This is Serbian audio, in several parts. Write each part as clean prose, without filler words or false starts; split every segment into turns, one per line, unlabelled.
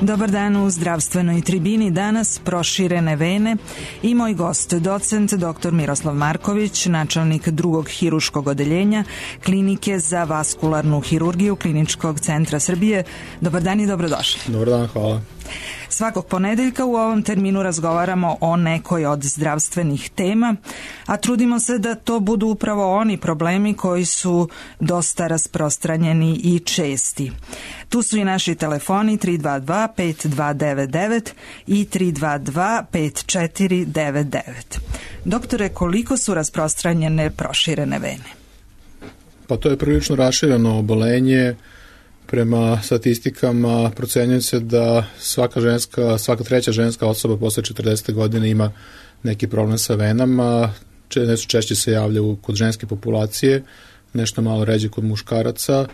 Dobar dan u zdravstvenoj tribini. Danas proširene vene i moj gost, docent dr. Miroslav Marković, načelnik drugog hirurškog odeljenja Klinike za vaskularnu hirurgiju Kliničkog centra Srbije. Dobar dan i dobrodošli.
Dobar dan, hvala.
Svakog ponedeljka u ovom terminu razgovaramo o nekoj od zdravstvenih tema, a trudimo se da to budu upravo oni problemi koji su dosta rasprostranjeni i česti. Tu su i naši telefoni 322-5299 i 322-5499. Doktore, koliko su rasprostranjene proširene vene?
Pa to je prilično rašireno obolenje. Prema statistikama procenjuje se da svaka treća ženska osoba posle 40. godine ima neki problem sa venama. Nešto češće se javlja kod ženske populacije, nešto malo ređe kod muškaraca,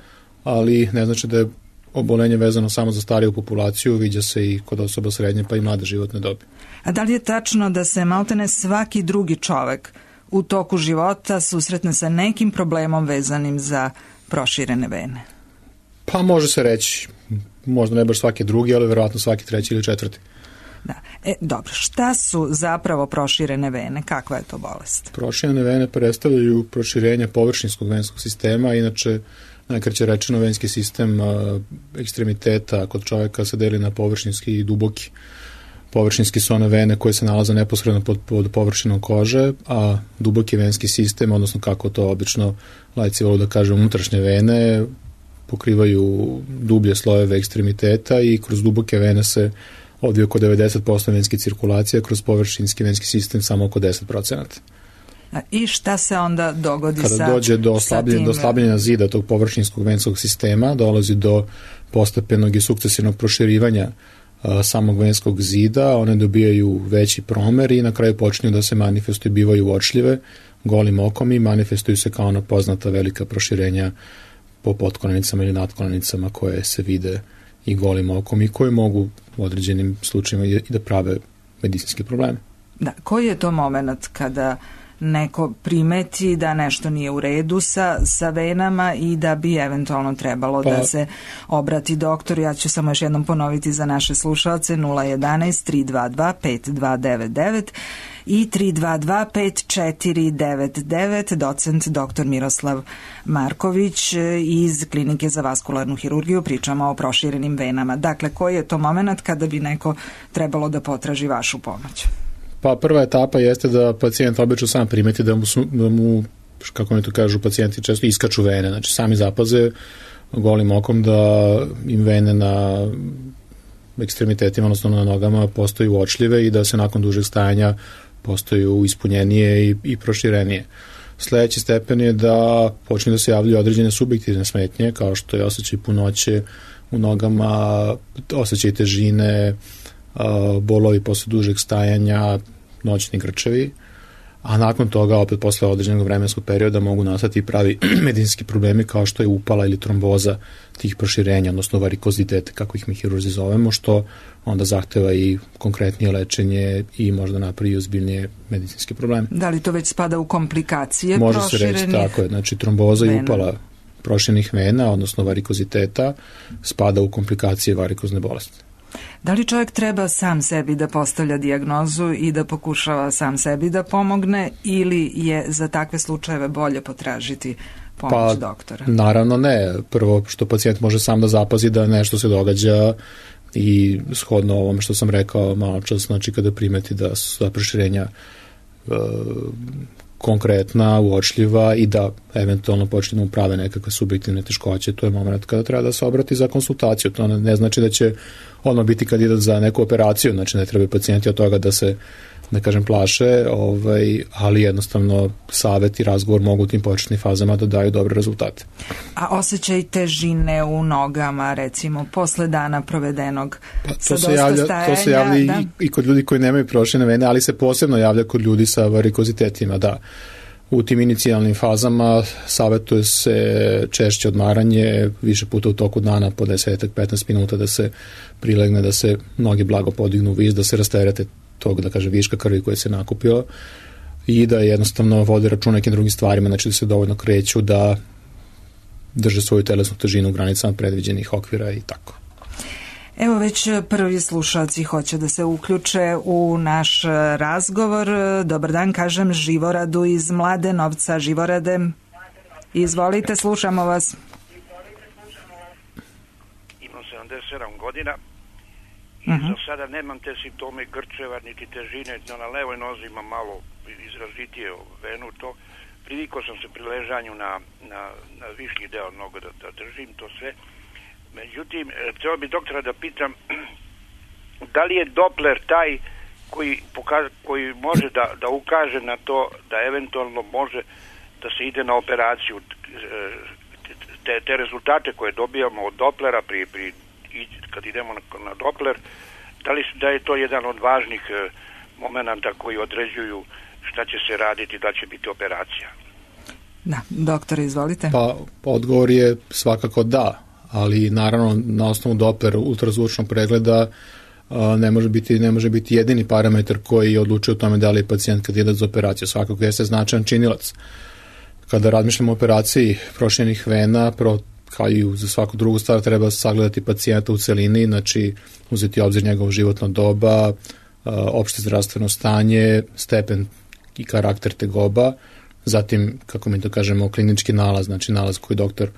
ali ne znači da je obolenje vezano samo za stariju populaciju, viđa se i kod osoba srednje pa i mlade životne dobi.
A da li je tačno da se maltene svaki drugi čovek u toku života susretne sa nekim problemom vezanim za proširene vene?
Pa može se reći, možda ne baš svaki drugi, ali verovatno svaki treći ili četvrti.
Da. Dobro, šta su zapravo proširene vene? Kakva je to bolest?
Proširene vene predstavljaju proširenje površinskog venskog sistema, inače najkraće rečeno venski sistem ekstremiteta kod čovjeka se deli na površinski i duboki. Površinski su one vene koje se nalaze neposredno pod površinom kože, a duboki venski sistem, odnosno kako to obično laici vole da kaže unutrašnje vene, pokrivaju dublje slojeve ekstremiteta i kroz duboke vene se odvija oko 90% venske cirkulacije, kroz površinski venski sistem samo oko 10%.
I šta se onda dogodi
kada dođe do slabljenja zida tog površinskog venskog sistema, dolazi do postepenog i sukcesivnog proširivanja samog venskog zida, one dobijaju veći promer i na kraju počinju da se manifestuju, bivaju uočljive golim okom i manifestuju se kao ona poznata velika proširenja po potkonanicama ili nadkonanicama koje se vide i golim okom i koje mogu u određenim slučajima i da prave medicinske probleme.
Da, koji je to moment kada neko primeti da nešto nije u redu sa venama i da bi eventualno trebalo da se obrati doktoru? Ja ću samo još jednom ponoviti za naše slušalce 011-322-5299 i 322-5499, docent dr. Miroslav Marković iz Klinike za vaskularnu hirurgiju. Pričamo o proširenim venama. Dakle, koji je to moment kada bi neko trebalo da potraži vašu pomoć?
Pa prva etapa jeste da pacijent obično sam primeti da mu kako mi to kažu pacijenti često iskaču vene, znači sami zapaze golim okom da im vene na ekstremitetima, odnosno na nogama postaju uočljive i da se nakon dužeg stajanja postaju ispunjenije i proširenije. Sledeći stepen je da počne da se javljaju određene subjektivne smetnje, kao što je osjećaj punoće u nogama, osjećaj težine, bolovi posle dužeg stajanja, noćni grčevi, a nakon toga opet posle određenog vremenskog perioda mogu nastati pravi medicinski problemi kao što je upala ili tromboza tih proširenja, odnosno varikozitete, kako ih mi hirurzi zovemo, što onda zahteva i konkretnije lečenje i možda napravi ozbiljnije medicinske probleme.
Da li to već spada u komplikacije
može
proširenih?
Može se reći, tako je, znači tromboza i upala proširenih vena, odnosno varikoziteta, spada u komplikacije varikozne bolesti.
Da li čovjek treba sam sebi da postavlja dijagnozu i da pokušava sam sebi da pomogne ili je za takve slučajeve bolje potražiti pomoć doktora?
Naravno ne. Prvo što pacijent može sam da zapazi da nešto se događa i shodno ovom što sam rekao malo čas, znači kada primeti da su proširenja konkretna, uočljiva i da eventualno počne da mu prave nekakve subjektivne teškoće, to je moment kada treba da se obrati za konsultaciju. To ne znači da će odmah biti kandidat za neku operaciju, znači ne treba pacijenti od toga da se, da kažem, plaše, ali jednostavno savjet i razgovor mogu u tim početnim fazama da daju dobre rezultate.
A osjećaj težine u nogama, recimo, posle dana provedenog sa dosta stajanja?
To se javlja i kod ljudi koji nemaju proširene vene, ali se posebno javlja kod ljudi sa varikozitetima, da. U tim inicijalnim fazama savjetuje se češće odmaranje, više puta u toku dana po 10-15 minuta da se prilegne, da se noge blago podignu u vis, da se rasterete tog, da kaže, viška krvi koje se nakupio i da jednostavno vode račun nekim drugim stvarima, znači da se dovoljno kreću, da drže svoju telesnu težinu u granicama predviđenih okvira i tako.
Evo već prvi slušalci hoće da se uključe u naš razgovor. Dobar dan, kažem Živoradu iz Mladenovca. Živorade, izvolite, slušamo vas.
Imam 77 godina i za sada nemam te simptome grčeva niti težine. Na levoj nozi imam malo izrazitije venu, to privikao sam se pri ležanju na višnji deo noga da držim to sve. Međutim, treba bi doktora da pitam da li je Doppler taj koji može da ukaže na to da eventualno može da se ide na operaciju. Te rezultate koje dobijamo od Dopplera kad idemo na Doppler, da je to jedan od važnih momenata koji određuju šta će se raditi, da će biti operacija.
Da, doktore, izvolite.
Pa odgovor je svakako da, ali naravno na osnovu Doppler ultrazvučnog pregleda ne može biti jedini parametar koji odlučuje o tome da li je pacijent kandidat za operaciju. Svakako jeste značajan činilac. Kada razmišljamo o operaciji proširenih vena, kao i za svaku drugu stvar, treba sagledati pacijenta u celini, znači uzeti obzir njegovo životno doba, opšte zdravstveno stanje, stepen i karakter tegoba, zatim, kako mi to kažemo, klinički nalaz, znači nalaz koji doktor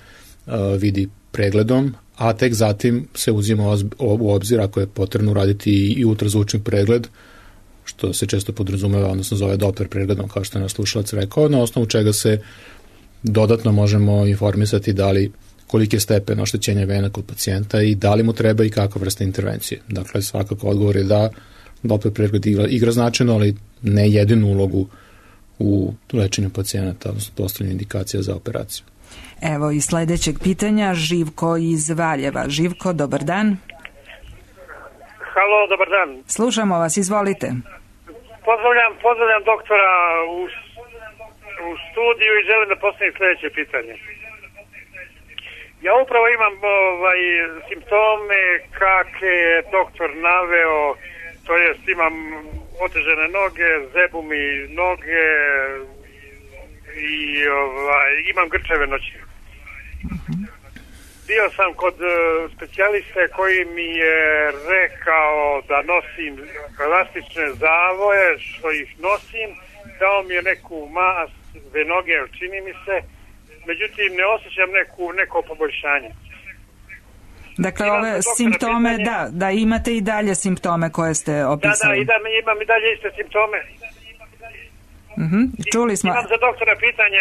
vidi pregledom, a tek zatim se uzima u obzir ako je potrebno uraditi i ultrazvučni pregled, što se često podrazumeva, odnosno zove Doppler pregledom, kao što je naš slušalac rekao, na osnovu čega se dodatno možemo informisati koliki je stepen oštećenja vena kod pacijenta i da li mu treba i kakva vrsta intervencije. Dakle, svakako odgovor je da Doppler pregled igra značajno, ali ne jedinu ulogu u lečenju pacijenata, odnosno postavljanju indikacija za operaciju.
Evo i sledećeg pitanja, Živko iz Valjeva. Živko, dobar dan.
Halo, dobar dan.
Slušamo vas, izvolite.
Pozdravljam doktora u studiju i želim da postavim sledeće pitanje. Ja upravo imam simptome kakve je doktor naveo, to jest imam otežene noge, zebu mi noge i imam grčeve noći. Bio sam kod specijaliste koji mi je rekao da nosim elastične zavoje, što ih nosim, dao mi je neku mast noge, čini mi se, međutim ne osjećam neko poboljšanje.
Dakle, ove simptome, da imate i dalje simptome koje ste opisali.
Da, imam i dalje iste simptome.
Čuli smo.
Imam za doktora pitanje,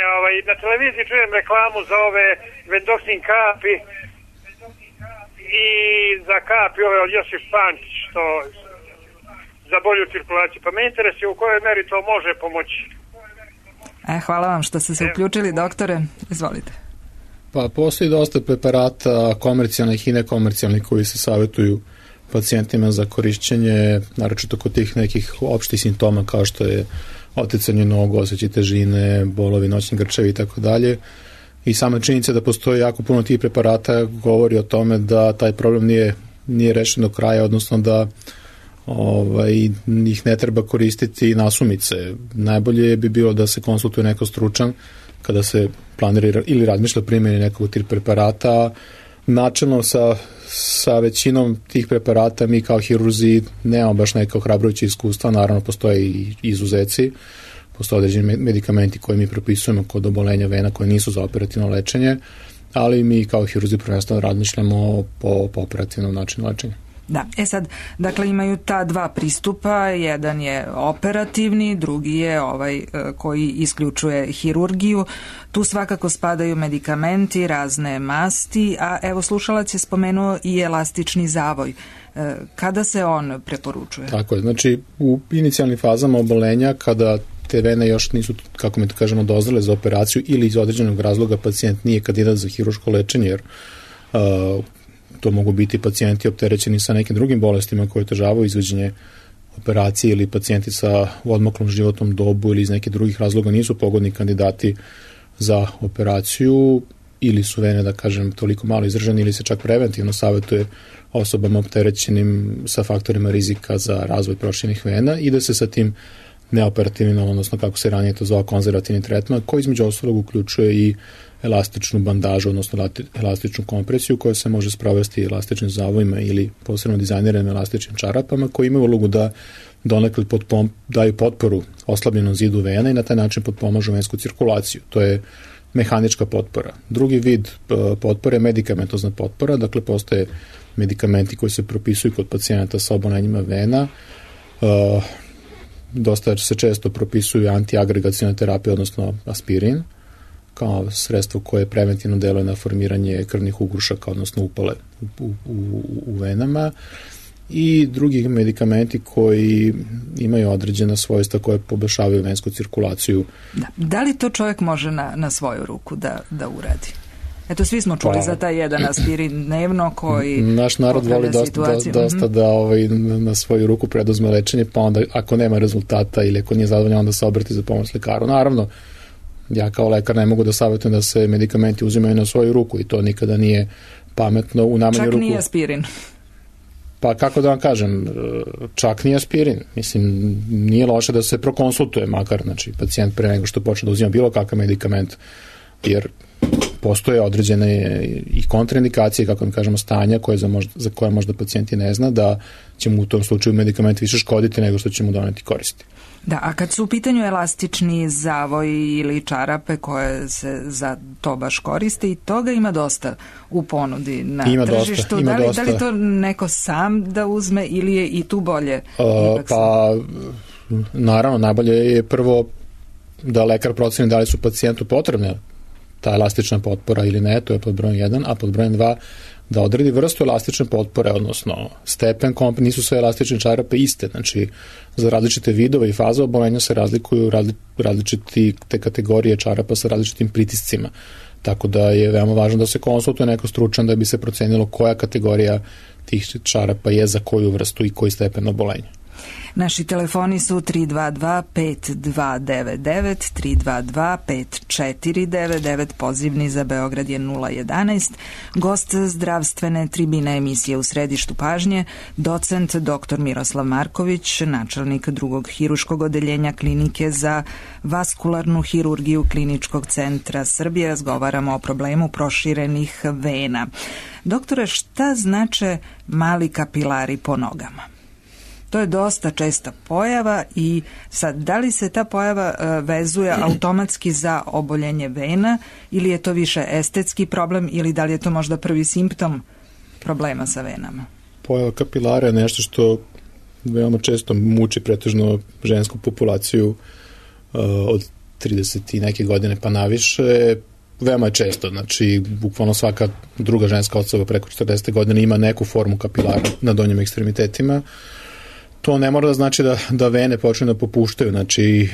na televiziji čujem reklamu za ove Vendoksin kapi i za kapi ove od Josip Pančić, što za bolju cirkulaciju. Pa me interesuje u kojoj meri to može pomoći.
Hvala vam što ste se uključili, doktore. Izvolite.
Pa postoji dosta preparata komercijalnih i nekomercijalnih koji se savjetuju pacijentima za korišćenje, naročito kod tih nekih opštih simptoma kao što je oticanje nogu, osjećaj težine, bolovi, noćni grčevi i tako dalje. I sama činjenica da postoji jako puno tih preparata govori o tome da taj problem nije rešen do kraja, odnosno da ih ne treba koristiti nasumice. Najbolje bi bilo da se konsultuje neko stručan kada se planira ili razmišlja o primjeni nekog tih preparata. Načelno sa većinom tih preparata mi kao hirurzi nemamo baš neka ohrabrujuća iskustva, naravno postoje i izuzeci, postoje određeni medikamenti koje mi propisujemo kod obolenja vena koje nisu za operativno lečenje, ali mi kao hirurzi prvenstveno razmišljamo po operativnom načinu lečenja.
Da, sad, dakle imaju ta dva pristupa, jedan je operativni, drugi je koji isključuje hirurgiju. Tu svakako spadaju medikamenti, razne masti, a evo slušalac je spomenuo i elastični zavoj. Kada se on preporučuje?
Tako je, znači u inicijalnim fazama obolenja kada te vene još nisu, kako mi to kažemo, dozrele za operaciju ili iz određenog razloga pacijent nije kandidat za hirurško lečenje, jer to mogu biti pacijenti opterećeni sa nekim drugim bolestima koje otežavaju izvođenje operacije ili pacijenti sa odmaklom životnom dobu ili iz nekih drugih razloga nisu pogodni kandidati za operaciju ili su vene, da kažem, toliko malo izražene ili se čak preventivno savjetuje osobama opterećenim sa faktorima rizika za razvoj proširenih vena i da se sa tim neoperativni, odnosno kako se ranije to zvao konzervativni tretman, koji između ostalog uključuje i elastičnu bandažu, odnosno elastičnu kompresiju koja se može sprovesti elastičnim zavojima ili posebno dizajniranim elastičnim čarapama koji imaju ulogu da donekle daju potporu oslabljenom zidu vena i na taj način potpomažu vensku cirkulaciju. To je mehanička potpora. Drugi vid potpore je medikamentozna potpora, dakle postoje medikamenti koji se propisuju kod pacijenata sa obolenjima vena. Dosta se često propisuju antiagregacione terapije, odnosno aspirin, kao sredstvo koje preventivno deluje na formiranje krvnih ugrušaka, odnosno upale u venama, i drugi medikamenti koji imaju određena svojstva koje poboljšavaju vensku cirkulaciju.
Da li to čovjek može na svoju ruku da uradi? Eto, svi smo čuli za taj jedan aspirin dnevno koji
naš narod voli dosta da na svoju ruku preduzme lečenje, pa onda ako nema rezultata ili ako nije zadovoljan, onda se obrati za pomoć lekaru. Naravno, ja kao lekar ne mogu da savjetujem da se medikamenti uzimaju na svoju ruku i to nikada nije pametno u najmanju ruku.
Čak nije aspirin.
Pa kako da vam kažem, čak nije aspirin. Mislim, nije loše da se prokonsultuje makar, znači pacijent pre nego što počne da uzima bilo kakav medikament, jer postoje određene i kontraindikacije, kako mi kažemo, stanja za koje možda pacijent i ne zna, da će mu u tom slučaju medikament više škoditi nego što će mu doneti koristi.
Da, a kad su u pitanju elastični zavoji ili čarape koje se za to baš koriste, i toga ima dosta u ponudi na tržištu. Da li to neko sam da uzme ili je i tu bolje?
Pa, naravno, najbolje je prvo da lekar proceni da li su pacijentu potrebne ta elastična potpora ili ne, to je pod brojem 1, a pod brojem 2 da odredi vrstu elastične potpore, odnosno stepen, nisu sve elastične čarape iste, znači za različite vidove i faze obolenja se razlikuju različite kategorije čarapa sa različitim pritiscima, tako da je veoma važno da se konsultuje neko stručan da bi se procenilo koja kategorija tih čarapa je za koju vrstu i koji stepen obolenja.
Naši telefoni su 322-5299, 322-5499, pozivni za Beograd je 011. Gost zdravstvene tribine emisije U središtu pažnje, docent dr. Miroslav Marković, načelnik drugog hiruškog odeljenja Klinike za vaskularnu hirurgiju Kliničkog centra Srbije. Razgovaramo o problemu proširenih vena. Doktore, šta znače mali kapilari po nogama? To je dosta česta pojava i sad, da li se ta pojava vezuje automatski za oboljenje vena ili je to više estetski problem ili da li je to možda prvi simptom problema sa venama?
Pojava kapilara je nešto što veoma često muči pretežno žensku populaciju od 30 i neke godine pa naviše. Veoma je često, znači bukvalno svaka druga ženska osoba preko 40 godina ima neku formu kapilara na donjim ekstremitetima. To ne mora da znači da vene počne da popuštaju, znači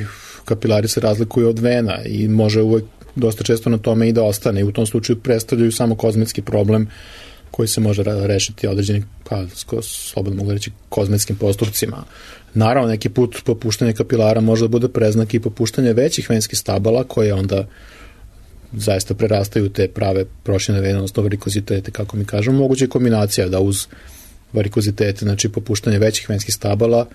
kapilari se razlikuju od vena i može uvek dosta često na tome i da ostane i u tom slučaju predstavljaju samo kozmetski problem koji se može rešiti određenim, slobodno mogu reći, kozmetskim postupcima. Naravno, neki put popuštanje kapilara može da bude preznak i popuštanje većih venskih stabala koje onda zaista prerastaju te prave proširene vene, odnosno varikozitete, kako mi kažemo. Moguće je kombinacija da uz varikozitete, znači popuštanje većih venskih stabala,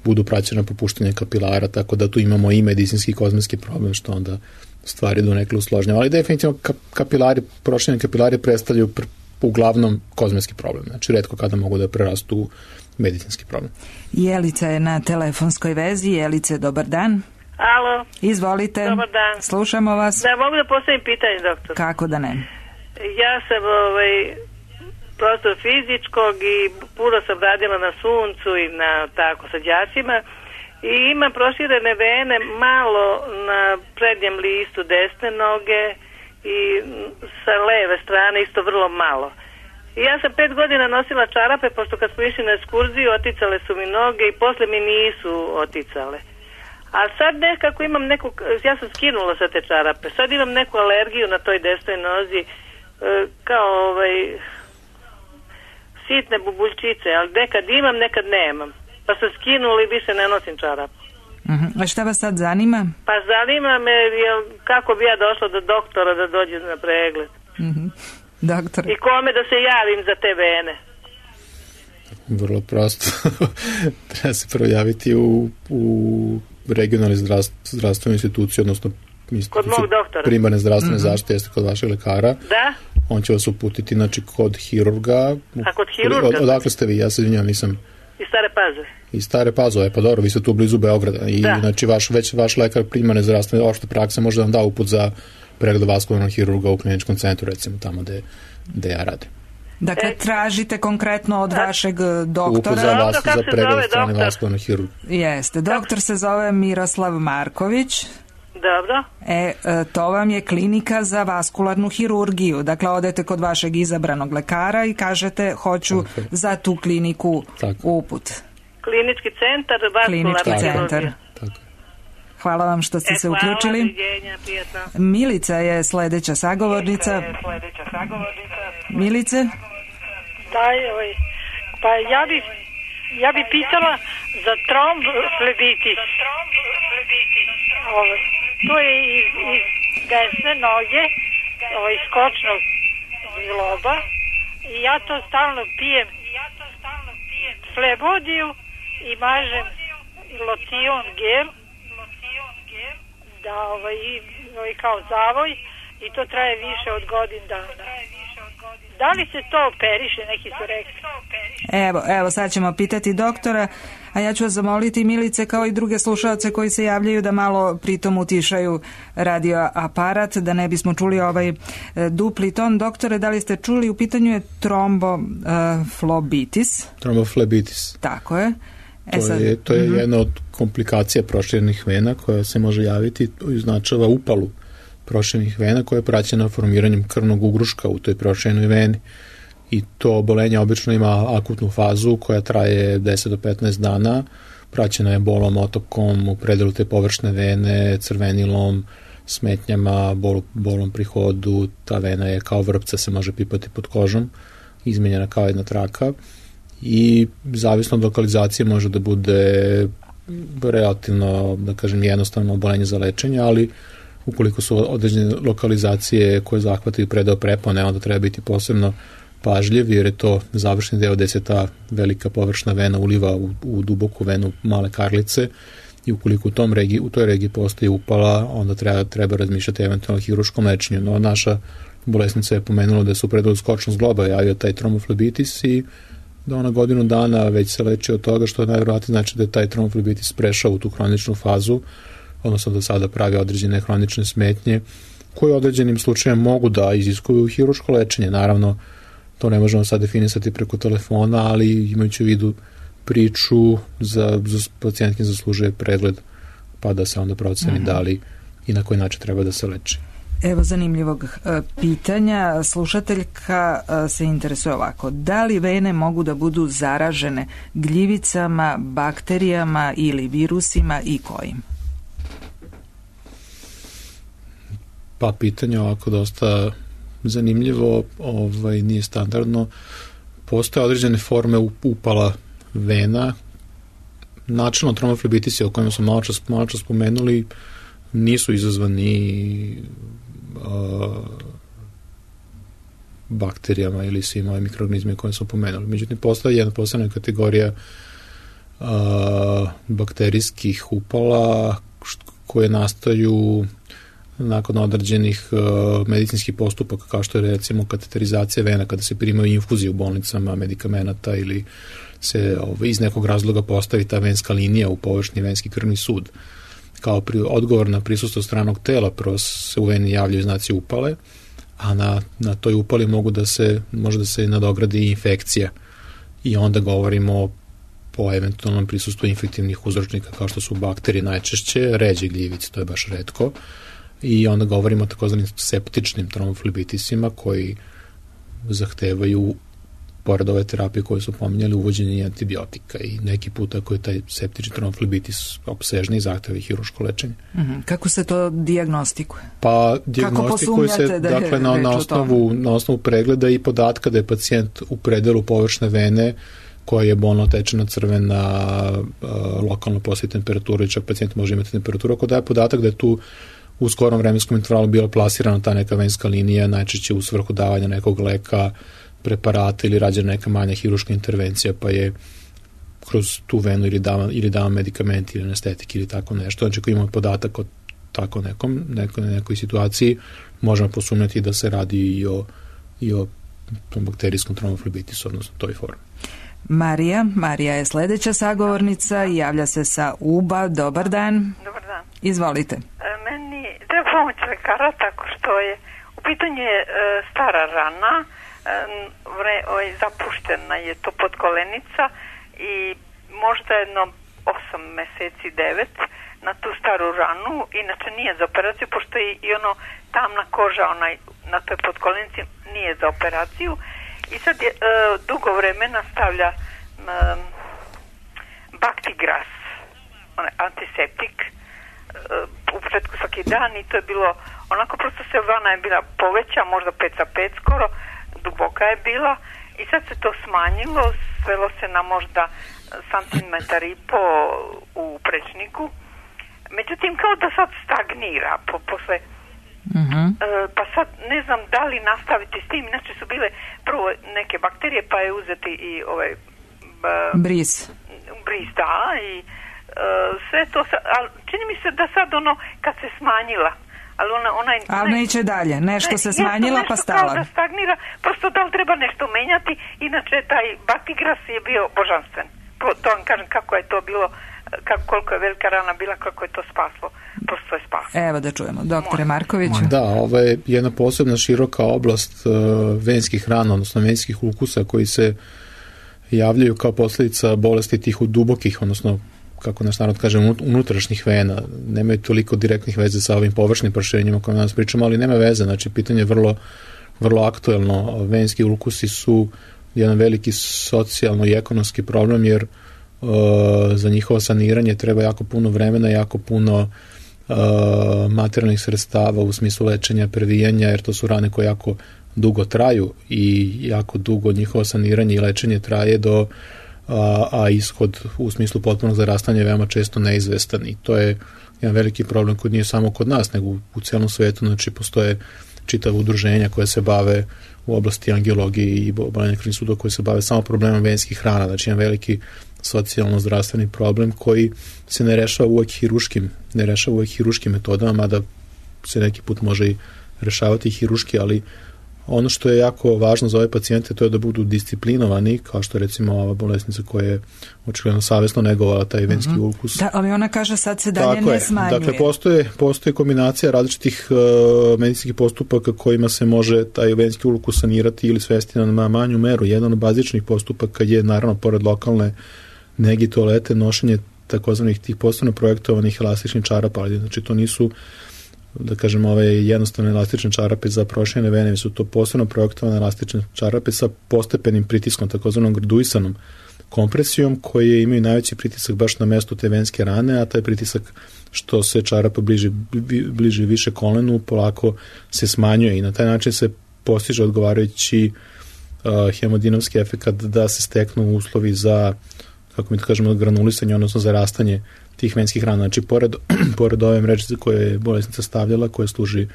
budu praćena popuštanje kapilara, tako da tu imamo i medicinski i kozmetski problem, što onda stvari donekle usložnjava. Ali definitivno prošireni kapilari predstavljaju uglavnom kozmetski problem, znači retko kada mogu da prerastu u medicinski problem.
Jelica je na telefonskoj vezi. Jelice, dobar dan.
Alo.
Izvolite.
Dobar dan.
Slušamo vas.
Da, mogu da postavim pitanje, doktor?
Kako da ne?
Ja sam prosto fizičkog i puno sam radila na suncu i na tako sa đacima i imam proširene vene malo na prednjem listu desne noge i sa leve strane isto vrlo malo. I ja sam 5 godina nosila čarape, pošto kad smo išli na ekskurziju oticale su mi noge i posle mi nisu oticale. A sad nekako imam ja sam skinula sa te čarape, sad imam neku alergiju na toj desnoj nozi, kao sitne bubuljčice, ali nekad imam, nekad nemam. Pa sam skinula i više ne nosim čarapu.
A šta vas sad zanima?
Pa zanima me kako bi ja došla do doktora da dođe na pregled.
Doktor.
I kome da se javim za te vene?
Vrlo prosto. Treba se prvo javiti u regionalne zdravstvene institucije, odnosno
kod mog doktora.
Primarne zdravstvene zaštite jeste kod vašeg lekara.
Da.
On će vas uputiti, znači, kod hirurga.
A kod hirurga?
Odakle ste vi? Ja se izvinjam, nisam...
Iz Stare Pazove.
Iz Stare Pazove, pa dobro, vi ste tu blizu Beograda. I,
da.
Znači, vaš lekar primarne zdravstvene opšte prakse može da vam da uput za pregled vaskularnog hirurga u kliničkom centru, recimo tamo gde ja radim.
Dakle, tražite konkretno od vašeg doktora.
Uput za pregled strane vaskularnog hirurga.
Jeste. Doktor se zove Miroslav Marković.
Dobro.
To vam je klinika za vaskularnu hirurgiju. Dakle, odete kod vašeg izabranog lekara i kažete hoću za tu kliniku uput.
Klinički centar vaskularna hirurgija.
Hvala vam što ste se uključili. Milica je sledeća sagovornica. Milice?
Da, pa ja bi pitala za trombflebitis. To je iz desne noge, iz kočnog zgloba, i ja to stalno pijem flebodiju i mažem lotion gel, da kao zavoj, i to traje više od godin dana. Da li se to operiše, neki su rekli?
Evo, sad ćemo pitati doktora, a ja ću vas zamoliti, Milice, kao i druge slušalce koji se javljaju, da malo pritom utišaju radio aparat, da ne bismo čuli ovaj dupli ton. Doktore, da li ste čuli, u pitanju je tromboflebitis.
Tromboflebitis.
Tako je.
To je jedna od komplikacija proširenih vena koja se može javiti, označava upalu proširenih vena koja je praćena formiranjem krvnog ugruška u toj proširenoj veni. I to obolenje obično ima akutnu fazu koja traje 10 do 15 dana, praćena je bolom, otokom u predelu te površne vene, crvenilom, smetnjama, bolom pri hodu. Ta vena je kao vrpca, se može pipati pod kožom, izmenjena kao jedna traka, i zavisno od lokalizacije može da bude relativno, da kažem, jednostavno obolenje za lečenje, ali ukoliko su određene lokalizacije koje zahvataju predeo prepone, onda treba biti posebno pažljiv, jer je to završni deo gde se ta velika površna vena uliva u duboku venu male karlice, i ukoliko u toj regiji postoji upala, onda treba razmišljati eventualno o hirurškom lečenju. No, naša bolesnica je pomenula da se u predelu skočnog zgloba javio taj tromboflebitis i da ona godinu dana već se leči od toga, što je najvjerojatnije znači da je taj tromboflebitis prešao u tu hroničnu fazu, odnosno da sada pravi određene hronične smetnje koje u određenim slučajima mogu da iziskuju hirurško lečenje. Naravno, to ne možemo sad definisati preko telefona, ali imajući u vidu priču, za pacijentkin zaslužuje pregled, pa da se onda proceni da li i na koji način treba da se leči.
Evo zanimljivog pitanja. Slušateljka se interesuje ovako. Da li vene mogu da budu zaražene gljivicama, bakterijama ili virusima i kojim?
Pa pitanje ovako dosta zanimljivo, nije standardno. Postoje određene forme upala vena. Načelno tromboflebitisi o kojima smo malo čas spomenuli nisu izazvani bakterijama ili svim ovim mikroorganizmima koje smo pomenuli. Međutim, postoji jedna posebna kategorija bakterijskih upala koje nastaju nakon određenih medicinskih postupaka, kao što je recimo kateterizacija vena, kada se primaju infuzije u bolnicama medikamenata ili se iz nekog razloga postavi ta venska linija u površni venski krvni sud. Kao odgovor na prisustvo stranog tela, prvo se u veni javljaju znaci upale, a na toj upali može da se nadogradi infekcija, i onda govorimo po eventualnom prisustvu infektivnih uzročnika kao što su bakterije najčešće, ređe gljivice, to je baš retko, i onda govorimo o takozvanim septičnim tromboflebitisima koji zahtevaju, pored ove terapije koje su pominjali, uvođenje antibiotika, i neki puta ako je taj septični tromboflebitis opsežni, zahteva i hirurško lečenje.
Kako se to dijagnostikuje?
Pa dijagnostikuje se dakle na osnovu pregleda i podatka da je pacijent u predelu površne vene koja je bolno tečena, crvena, lokalno postoji temperatura, i čak pacijent može imati temperaturu. Ako daje podatak da je tu u skorom vremenskom intervalu bila plasirana ta neka venska linija, najčešće u svrhu davanja nekog leka, preparata ili rađena neka manja hirurška intervencija, pa je kroz tu venu ili dava medikamenti ili anestetik ili tako nešto. Znači, ako imamo podatak o tako nekoj situaciji, možemo posumnjati da se radi i o bakterijskom tromoflebitisu, odnosno toj formi.
Marija je sledeća sagovornica i javlja se sa Uba. Dobar dan.
Dobar dan.
Izvolite.
Meni treba pomoć lekara tako što je u pitanju je stara rana, zapuštena je to podkolenica i možda jedno 8 meseci, 9 na tu staru ranu, inače nije za operaciju, pošto je i ono tamna koža na toj podkolenici nije za operaciju i sad je dugo vremena stavlja Bactigras, antiseptik, u početku svaki dan i to je bilo onako, prosto se vana je bila poveća, možda 5/5 skoro, duboka je bila i sad se to smanjilo, svelo se na možda centimetar i po u prečniku. Međutim, kao da sad stagnira posle. Pa sad ne znam da li nastaviti s tim, inače su bile prvo neke bakterije, pa je uzeti i ovaj
bris,
da, i sve to, ali čini mi se da sad ono kad se smanjila, ali
neće dalje, nešto se smanjila pa stala.
Kao da stagnira, prosto da li treba nešto menjati, inače taj Bactigras je bio božanstven. To vam kažem kako je to bilo, koliko je velika rana bila, kako je to spaslo. Prosto je spaslo.
Evo da čujemo, doktore Markoviću.
Da, ovo je jedna posebna široka oblast venskih rana, odnosno venskih ulkusa koji se javljaju kao posljedica bolesti tih dubokih, odnosno kako naš narod kaže, unutrašnjih vena. Nemaju toliko direktnih veze sa ovim površnim proširenjima o kojima danas pričamo, ali nema veze. Znači, pitanje je vrlo aktuelno. Venski ulkusi su jedan veliki socijalno i ekonomski problem, jer za njihovo saniranje treba jako puno vremena, jako puno materijalnih sredstava u smislu lečenja, previjanja, jer to su rane koje jako dugo traju i jako dugo njihovo saniranje i lečenje traje a ishod u smislu potpunog zarastanja je veoma često neizvestan i to je jedan veliki problem koji nije samo kod nas, nego u celom svetu. Znači, postoje čitava udruženja koje se bave u oblasti angiologije i oboljenja krvnih sudova koje se bave samo problemom venskih rana, znači jedan veliki socijalno-zdravstveni problem koji se ne rešava uvek hiruškim metodama, mada se neki put može i rešavati hiruški, ali ono što je jako važno za ove pacijente to je da budu disciplinovani, kao što recimo ova bolesnica koja je očigledno savesno negovala taj venski ulkus.
Da, ali ona kaže sad se dalje ne smanjuje.
Dakle, postoji kombinacija različitih medicinskih postupaka kojima se može taj venski ulkus sanirati ili svesti na manju meru. Jedan od bazičnih postupaka je naravno pored lokalne negi toalete nošenje takozvanih tih posebno projektovanih elastičnih čarapa, ali znači to nisu da kažem ove jednostavne elastične čarape za proširene vene, su to posebno projektovane elastične čarape sa postepenim pritiskom, takozvanom graduisanom kompresijom, koje imaju najveći pritisak baš na mesto te venske rane, a taj pritisak što se čarapa bliže više kolenu polako se smanjuje i na taj način se postiže odgovarajući hemodinamski efekat da se steknu uslovi za, kako mi to kažemo, granulisanje, odnosno zarastanje tih venskih rana. Znači, pored ove mrežice koje je bolesnica stavljala, koja služi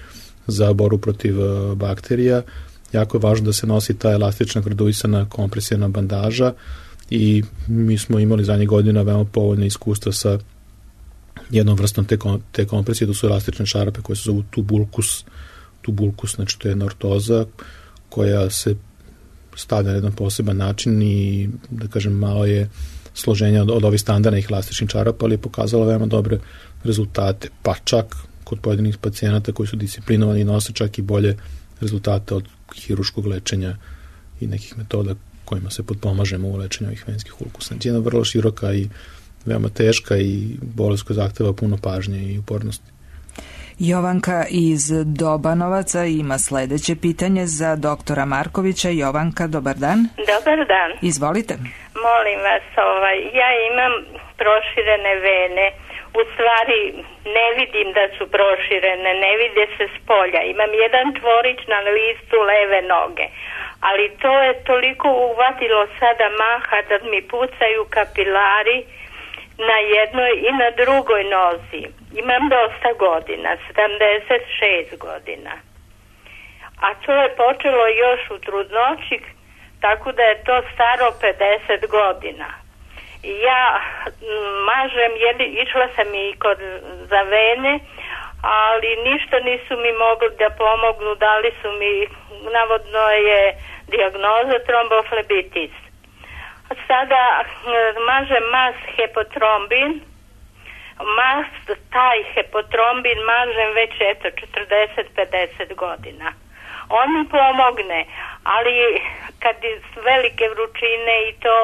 za borbu protiv bakterija, jako je važno da se nosi ta elastična graduisana kompresijna bandaža i mi smo imali zadnjih godina veoma povoljne iskustva sa jednom vrstom te kompresije, to su elastične čarape koje se zovu tubulkus, znači to je jedna ortoza koja se stavlja na jedan poseban način i, da kažem, malo je složenja od ovih standardnih elastičnih čarapa, ali je pokazala veoma dobre rezultate, pa čak kod pojedinih pacijenata koji su disciplinovani nose čak i bolje rezultate od hiruškog lečenja i nekih metoda kojima se potpomažemo u lečenju ovih venskih ulkusa. Znači, jedna vrlo široka i veoma teška i bolest koja zahteva puno pažnje i upornosti.
Jovanka iz Dobanovaca ima sledeće pitanje za doktora Markovića. Jovanka, dobar dan.
Dobar dan.
Izvolite.
Molim vas, ja imam proširene vene. U stvari ne vidim da su proširene, ne vide se s polja. Imam jedan tvorić na listu leve noge, ali to je toliko uvatilo sada maha da mi pucaju kapilari na jednoj i na drugoj nozi. Imam dosta godina, 76 godina. A to je počelo još u trudnoći, tako da je to staro 50 godina. Ja mažem, išla sam i za vene, ali ništa nisu mi mogli da pomognu, dali su mi, navodno je dijagnoza tromboflebitis. Sada mažem mas hepotrombin, taj hepotrombin mažem već 40-50 godina. On mi pomogne, ali kad su velike vrućine i to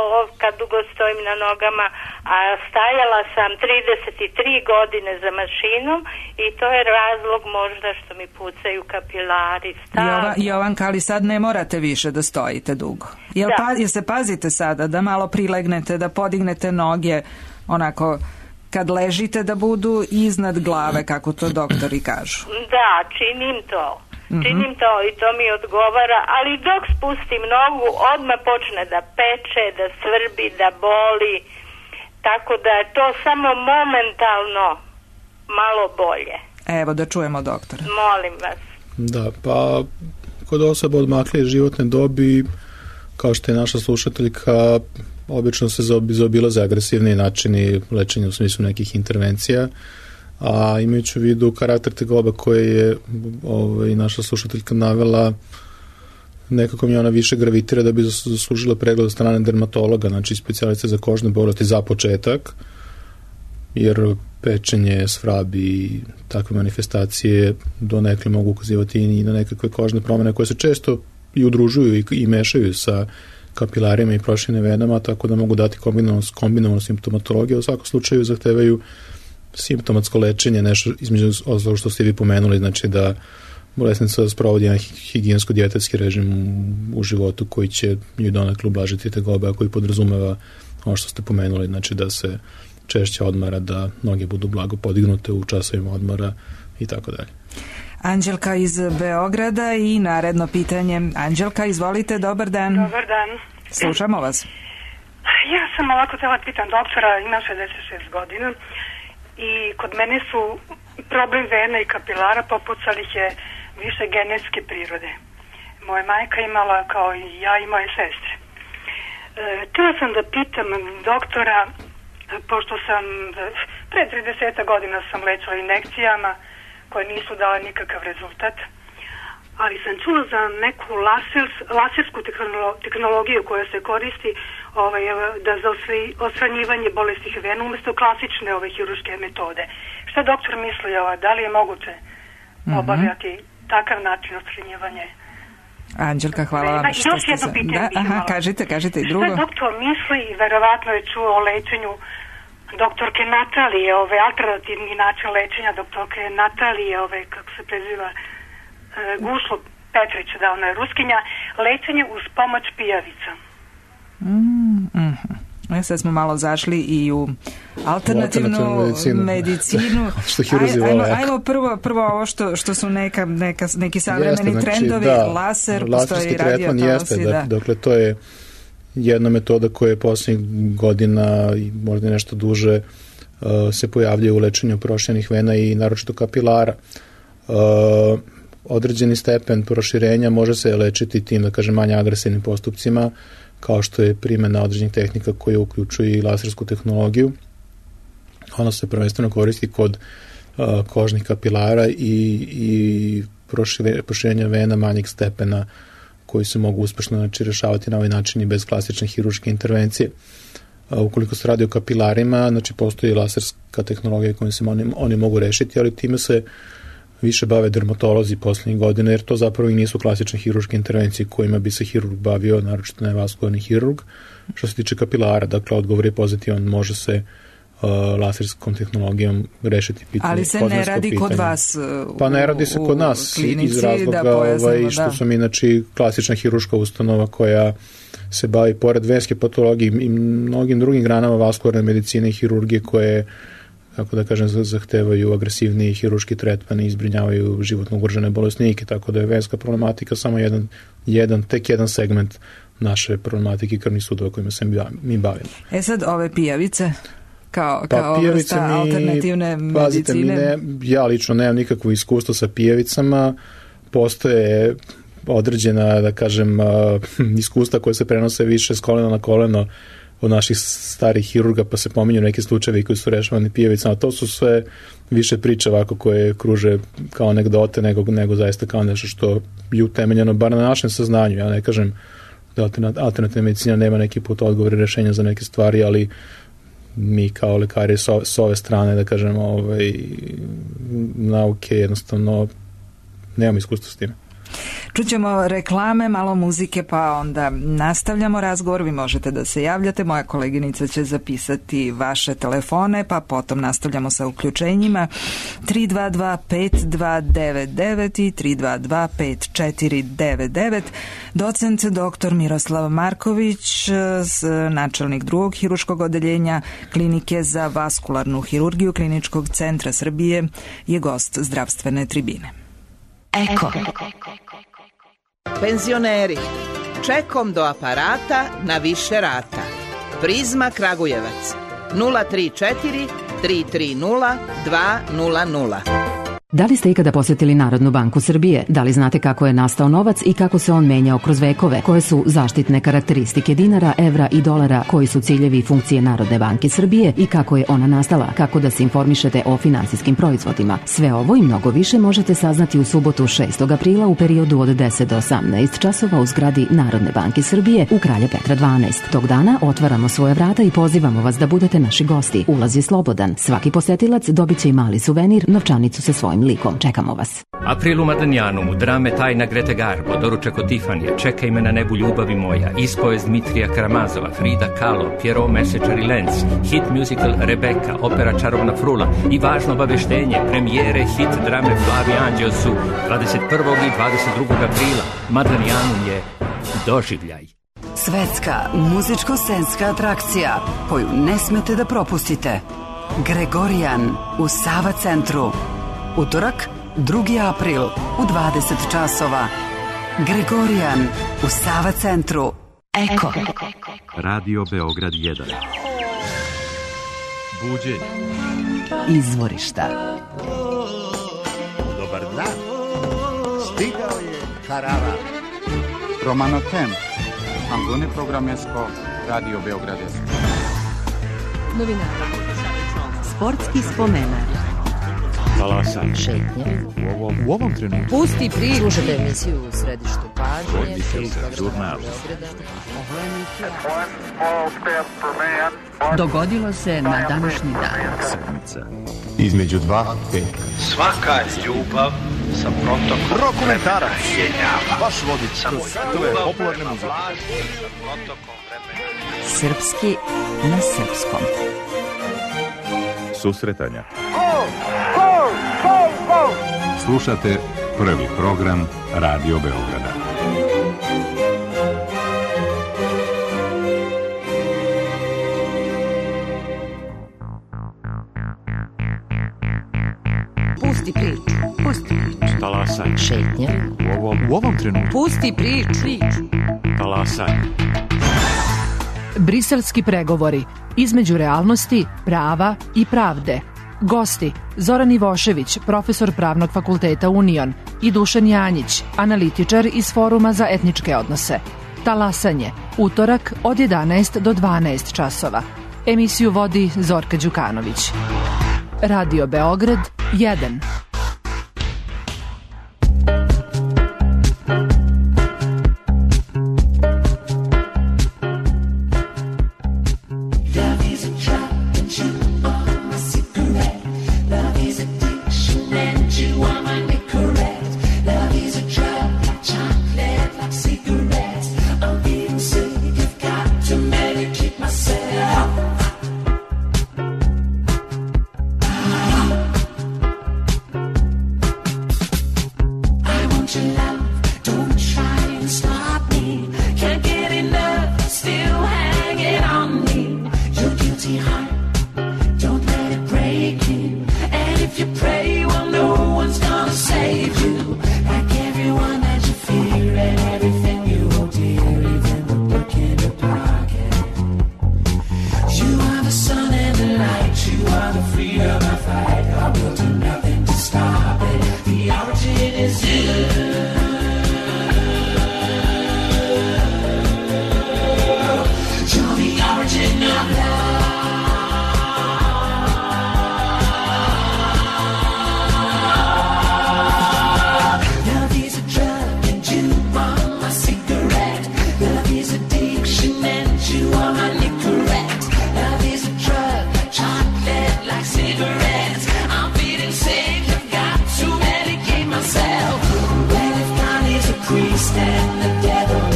kad dugo stojim na nogama, a stajala sam 33 godine za mašinom i to je razlog možda što mi pucaju kapilari.
Jovanka, ali sad ne morate više da stojite dugo. Jel se pazite sada da malo prilegnete, da podignete noge onako kad ležite da budu iznad glave, kako to doktori kažu?
Da, činim to. Činim to i to mi odgovara, ali dok spustim nogu odmah počne da peče, da svrbi, da boli, tako da je to samo momentalno malo bolje.
Evo da čujemo doktora.
Molim vas.
Da, pa kod osoba odmakle životne dobi, kao što je naša slušateljka, obično se zaobilaze agresivni načini lečenja u smislu nekih intervencija, a imajući u vidu karakter tegoba koje je naša slušateljka navela, nekako mi ona više gravitira da bi zaslužila pregled od strane dermatologa, znači specijaliste za kožne bolesti za početak, jer pečenje, svrab i takve manifestacije donekle mogu ukazivati i na nekakve kožne promene koje se često i udružuju i mešaju sa kapilarima i proširenim venama, tako da mogu dati kombinovanu simptomatologiju. U svakom slučaju zahtevaju simptomatsko lečenje, nešto između ostalog što ste vi pomenuli, znači da bolesnica sprovodi jedan higijensko-dijetetski režim u životu koji će joj donekle ublažiti tegobe, a koji podrazumeva ono što ste pomenuli, znači da se češće odmara, da noge budu blago podignute u časovima odmora i tako dalje.
Anđelka iz Beograda i naredno pitanje. Anđelka, izvolite, dobar dan.
Dobar dan.
Slušamo vas.
Ja sam ovako htjela pitam doktora, imam 66 godina i kod mene su problem vena i kapilara, popucali ih je više genetske prirode. Moja majka imala kao i ja i moje sestre. Htjela sam da pitam doktora, pošto sam pre 30 godina sam lečila injekcijama koje nisu dale nikakav rezultat, ali sam čula za neku lasersku tehnologiju koja se koristi da za osranjivanje bolestnih vena umjesto klasične hiruške metode. Šta doktor misli, da li je moguće obavljati takav način osranjivanja?
Anđelka, hvala vam što
još jedno pitanje.
Kažite i drugo.
Šta doktor misli, i verovatno je čuo o lečenju doktorke Natalije, alternativni način lečenja doktorke Natalije, kako se preziva, Gušlo Petrić, da ona je Ruskinja, lečenje uz pomoć pijavica.
Sad smo malo zašli i u alternativnu medicinu. Ajmo prvo ovo što su neki savremeni trendovi, laser, postoji radiotalosi.
Dakle, to je jedna metoda koja je posljednjih godina i možda nešto duže se pojavljuje u lečenju proširenih vena i naročito kapilara. Određeni stepen proširenja može se lečiti tim, da kažem, manje agresivnim postupcima, kao što je primjena određenih tehnika koje uključuju i lasersku tehnologiju. Ona se prvenstveno koristi kod kožnih kapilara i proširenja vena manjeg stepena koji se mogu uspešno rešavati na ovaj način i bez klasične hiruške intervencije. Ukoliko se radi o kapilarima, znači postoji laserska tehnologija kojom se oni mogu rešiti, ali time se više bave dermatolozi poslednjih godina, jer to zapravo i nisu klasične hiruške intervencije kojima bi se hirurg bavio, naročito nevaskularni hirurg. Što se tiče kapilara, dakle, odgovor je pozitivan, može se laserskom tehnologijom rešiti pitanje.
Ali se ne radi kod vas
pa ne radi se kod nas iz razloga što sam inače klasična hiruška ustanova koja se bavi pored venske patologije i mnogim drugim granama vaskularne medicine i hirurgije koje, kako da kažem, zahtevaju agresivniji hiruški tretman i izbrinjavaju životno ugrožene bolesnike, tako da je venska problematika samo tek jedan segment naše problematike krvnih sudova kojima se mi bavimo.
Sad ove pijavice kao vrsta alternativne medicine?
Ja lično nemam nikakvo iskustvo sa pijavicama, postoje određena, da kažem, iskustva koje se prenose više s kolena na koleno od naših starih hirurga, pa se pominju neki slučajevi koji su rešavani pijavicama. To su sve više priče ovako koje kruže kao anegdote nego zaista kao nešto što je utemeljeno, bar na našem saznanju. Ja ne kažem da alternativna medicina nema neki put odgovor i rešenja za neke stvari, ali mi kao lekari s ove strane, da kažem, nauke jednostavno nemamo iskustva s time.
Čućemo reklame, malo muzike, pa onda nastavljamo razgovor. Vi možete da se javljate, moja koleginica će zapisati vaše telefone, pa potom nastavljamo sa uključenjima 322-5299 i 322-5499. Docent dr. Miroslav Marković, načelnik drugog hiruškog odeljenja Klinike za vaskularnu hirurgiju Kliničkog centra Srbije, je gost zdravstvene tribine.
Eko. Penzioneri, čekom do aparata na više rata. Prizma Kragujevac 034 330 200.
Da li ste ikada posjetili Narodnu banku Srbije? Da li znate kako je nastao novac i kako se on menjao kroz vekove? Koje su zaštitne karakteristike dinara, evra i dolara? Koji su ciljevi i funkcije Narodne banke Srbije i kako je ona nastala? Kako da se informišete o finansijskim proizvodima? Sve ovo i mnogo više možete saznati u subotu 6. aprila u periodu od 10 do 18 časova u zgradi Narodne banke Srbije u Kralja Petra 12. Tog dana otvaramo svoje vrata i pozivamo vas da budete naši gosti. Ulaz je slobodan. Svaki posetilac dobit će i mali suvenir, novčanicu sa svojim likom. Čekamo vas.
April u Madanjanu, drame Tajna Grete Garbo, doručak od Tifanija, Čekaj me na nebu ljubavi moja, ispovest Dmitrija Karamazova, Frida Kahlo, Pierrot Mesečar i Lenz, hit musical Rebeka, opera Čarobna frula i važno obaveštenje, premijere hit drame Plavi anđeo su 21. i 22. aprila. Madanjanu je doživljaj.
Svetska muzičko-scenska atrakcija koju ne smete da propustite. Gregorijan u Sava centru. Utorak, 2. april u 20 časova. Gregorijan u Sava centru. Eko.
Radio Beograd 1. Buđenje.
Izvorišta.
Dobar dan. Stigao je karavan. Romano Tem. Angone Programesko. Radio Beograd 1.
Novinara. Sportski spomenar.
Talasan.
Šetnje.
U ovom trenutku.
Pusti priču. Slušajte emisiju u središtu pažnje.
Žurnal.
Dogodilo se na današnji dan.
Sedmica.
Između 2 i 5.
Svaka ljubav sa protokom
Dokumentarac.
Vaš vodič
kroz svetove popularne muzike.
Srpski na srpskom.
Susretanja. Slušate prvi program Radio Beograda.
Pusti priču. Pusti priču.
Talasan.
Šetnje.
U ovom trenutku.
Pusti priču.
Talasan.
Briselski pregovori između realnosti, prava i pravde. Gosti Zoran Ivošević, profesor Pravnog fakulteta Union, i Dušan Janjić, analitičar iz Foruma za etničke odnose. Talasanje, utorak od 11 do 12 časova. Emisiju vodi Zorka Đukanović. Radio Beograd 1.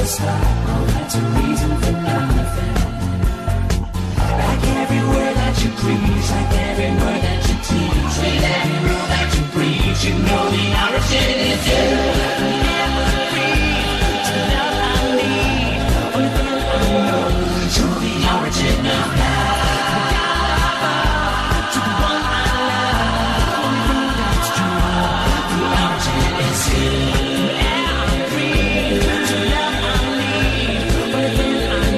stop. Oh, that's a reason for nothing. Like every word that you preach, like every word that you teach, with every rule that you preach, you know the origin is you. Never free to the love I need. Only thing I know, you're the origin of love. To the one I love, only thing that's true. The origin is you. Never free to the love I need. Only thing I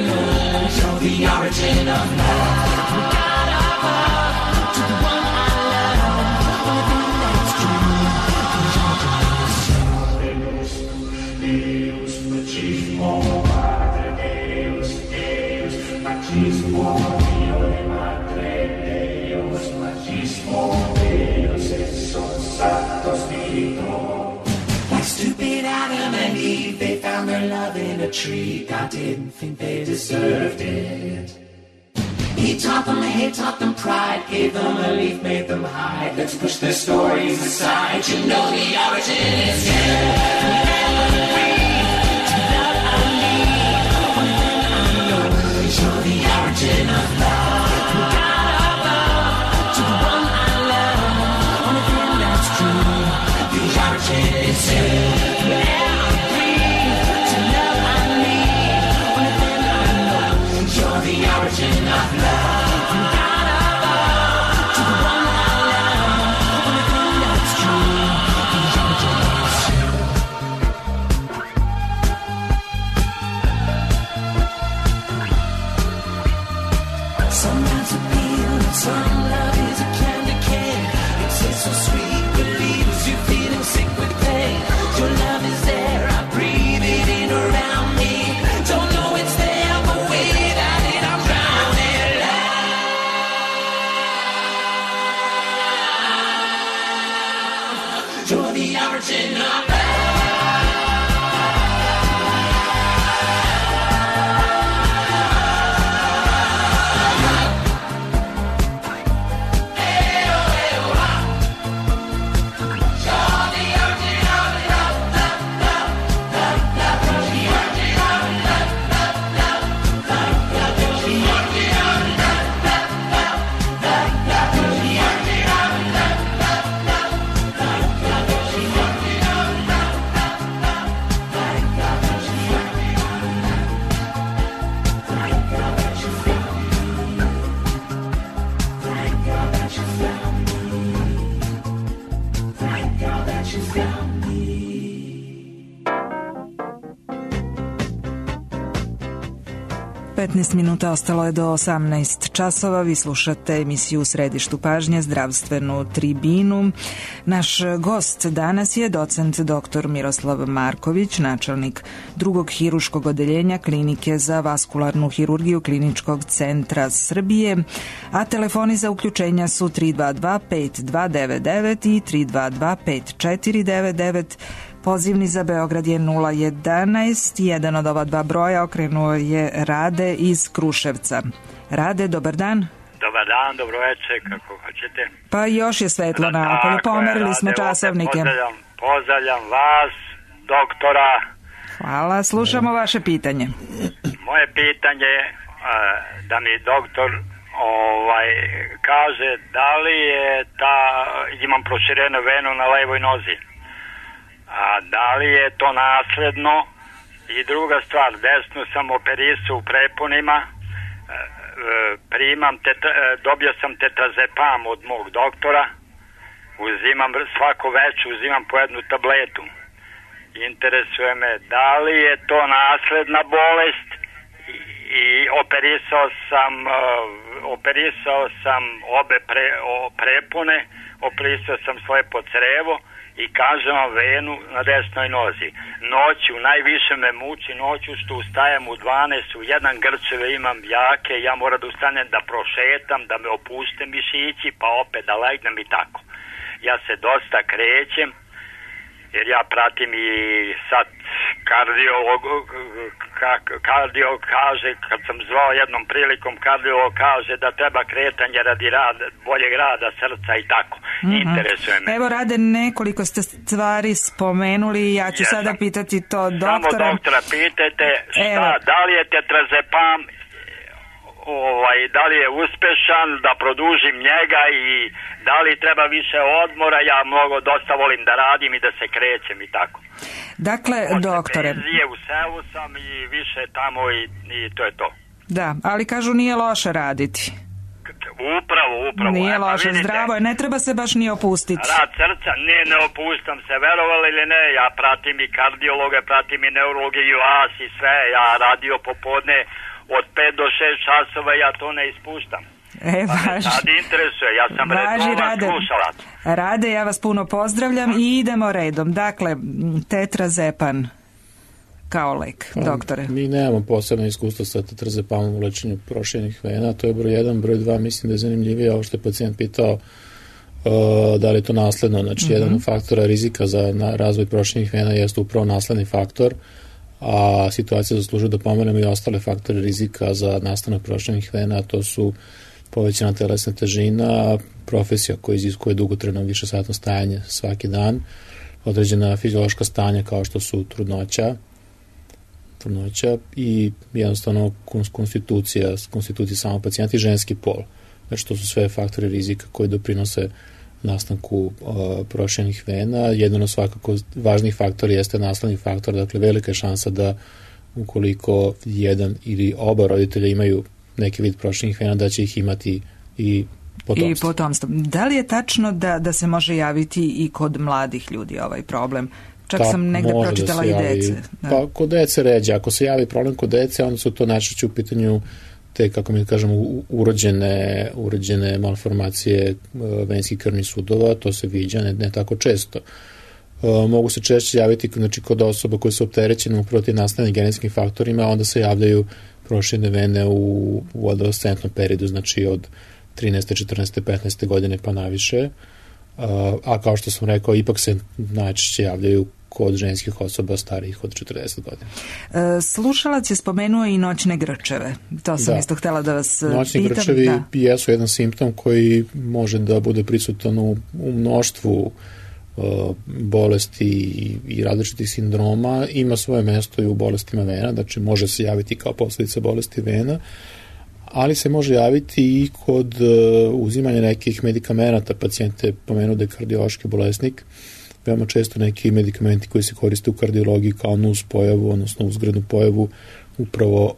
know, you're the origin of love. Like stupid Adam and Eve, they found their love in a tree. God didn't think they deserved it. He taught them hate, taught them pride, gave them a leaf, made them hide. Let's push their stories aside. You know the origin is you. Never free to the love I need. Only thing I know is you're the origin of love. God above, to the one I love. Only thing that's true, the origin is you. Never free to the love I need. Only thing I know, you're the origin of love. Some love is a candy cane. It tastes so sweet, but leaves you feeling sick with pain. Your love is there, I breathe it in around me. Don't know it's there, but without it I'm drowning. Love, you're the origin of love.
Minuta ostalo je do 18 časova. Vi slušate emisiju u središtu pažnje, zdravstvenu tribinu. Naš gost danas je docent dr. Miroslav Marković, načelnik drugog hiruškog odeljenja Klinike za vaskularnu hirurgiju Kliničkog centra Srbije, a telefoni za uključenja su 322-5299 i 322-5499. Pozivni za Beograd je 011. Jedan od ova dva broja okrenuo je Rade iz Kruševca. Rade, dobar dan.
Dobar dan, dobro večer, kako hoćete.
Pa još je svetlo napolju, pomerili smo časovnike.
Pozdravljam vas, doktora.
Hvala, slušamo vaše pitanje.
Moje pitanje je da mi doktor kaže da li je imam proširenu venu na levoj nozi. A da li je to nasledno? I druga stvar, desno sam operisao u prepunima, dobio sam tetrazepam od mog doktora, uzimam svako večer, uzimam po jednu tabletu. Interesuje me da li je to nasledna bolest i operisao sam obe prepune, operisao sam svoje podcrevo i kažem vam venu na desnoj nozi. Noću, najviše me muči noću što ustajem u 12, u jedan grčeve imam jake, ja moram da ustanem da prošetam, da me opuste mišići, pa opet da legnem i tako. Ja se dosta krećem, jer ja pratim i sad kardio kaže, kad sam zvao jednom prilikom, kardiolog kaže da treba kretanje radi boljeg rada srca i tako. Interesuje me.
Evo, Rade, nekoliko ste stvari spomenuli, ja ću sada pitati to doktora.
Samo doktora pitajte da li je tetrazepam, da li je uspešan, da produžim njega i da li treba više odmora, ja dosta volim da radim i da se krećem i tako.
Dakle, doktore...
Penzije, u selu sam i više tamo i to je to.
Da, ali kažu nije loše raditi.
Upravo.
Nije loše, zdravo je, ne treba se baš ni opustiti.
Rad srca, ne opustam se, verovali ili ne, ja pratim i kardiologe, pratim i neurologe i vas i sve, ja radio popodne od 5 do 6 časova, ja to ne ispuštam. Sad interesuje, ja sam redovan slušalac.
Rade, ja vas puno pozdravljam i idemo redom. Dakle, tetrazepan kao lek, doktore.
Mi nemamo posebno iskustvo sa tetrazepamom u lečenju proširenih vena, to je broj 1, broj 2, mislim da je zanimljivije ovo što je pacijent pitao da li je to nasledno, znači jedan od faktora rizika za razvoj proširenih vena jeste upravo nasledni faktor, a situacija zaslužuje da pomenemo i ostale faktore rizika za nastanak proširenih vena, a to su povećana telesna težina, profesija koja iziskuje dugotrajno višesatno stajanje svaki dan, određena fiziološka stanja kao što su trudnoća i jednostavno konstitucija samog pacijenta i ženski pol. Znači to su sve faktori rizika koji doprinose nastanku proširenih vena. Jedan od svakako važnih faktora jeste nasledni faktor, dakle velika je šansa da ukoliko jedan ili oba roditelja imaju neki vid proširenih vena, da će ih imati i potomstvo.
Da li je tačno da se može javiti i kod mladih ljudi ovaj problem? Čak sam negde pročitala i dece.
Pa kod dece ređe. Ako se javi problem kod dece, onda su to najčešće u pitanju te, kako mi kažemo, urođene malformacije venskih krvnih sudova, to se viđa ne tako često. Mogu se češće javiti kod osoba koje su opterećene upravo tim nastavnim genetskim faktorima, onda se javljaju proširene vene u adolescentnom periodu, znači od 13. 14. 15. godine pa naviše, a kao što sam rekao, ipak se najčešće javljaju kod ženskih osoba starijih od 40 godina.
Slušalac je spomenuo i noćne grčeve. To sam isto htjela da vas pitam.
Noćni grčevi jesu jedan simptom koji može da bude prisutan u mnoštvu bolesti i različitih sindroma. Ima svoje mesto i u bolestima vena, znači može se javiti kao posljedica bolesti vena, ali se može javiti i kod uzimanja nekih medikamenata. Pacijent je pomenuo da je kardiološki bolesnik. Veoma često neki medikamenti koji se koriste u kardiologiji kao nus pojavu, odnosno uzgrednu pojavu, upravo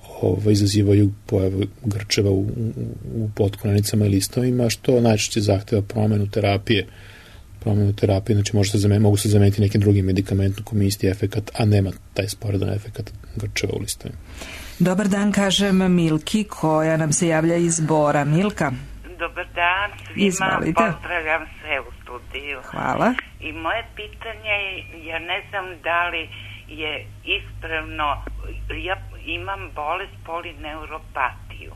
izazivaju pojavu grčeva u potkonanicama i listovima, što najčešće zahteva promenu terapije, znači mogu se zameniti nekim drugim medikamentom koji ima isti efekat, a nema taj sporedan efekat grčeva u listovima.
Dobar dan, kažem Milki, koja nam se javlja iz Bora. Milka.
Dobar dan svima.
Izvolite.
Pozdravljam sve u studiju.
Hvala.
I moje pitanje je, ja ne znam da li je ispravno, ja imam bolest polineuropatiju,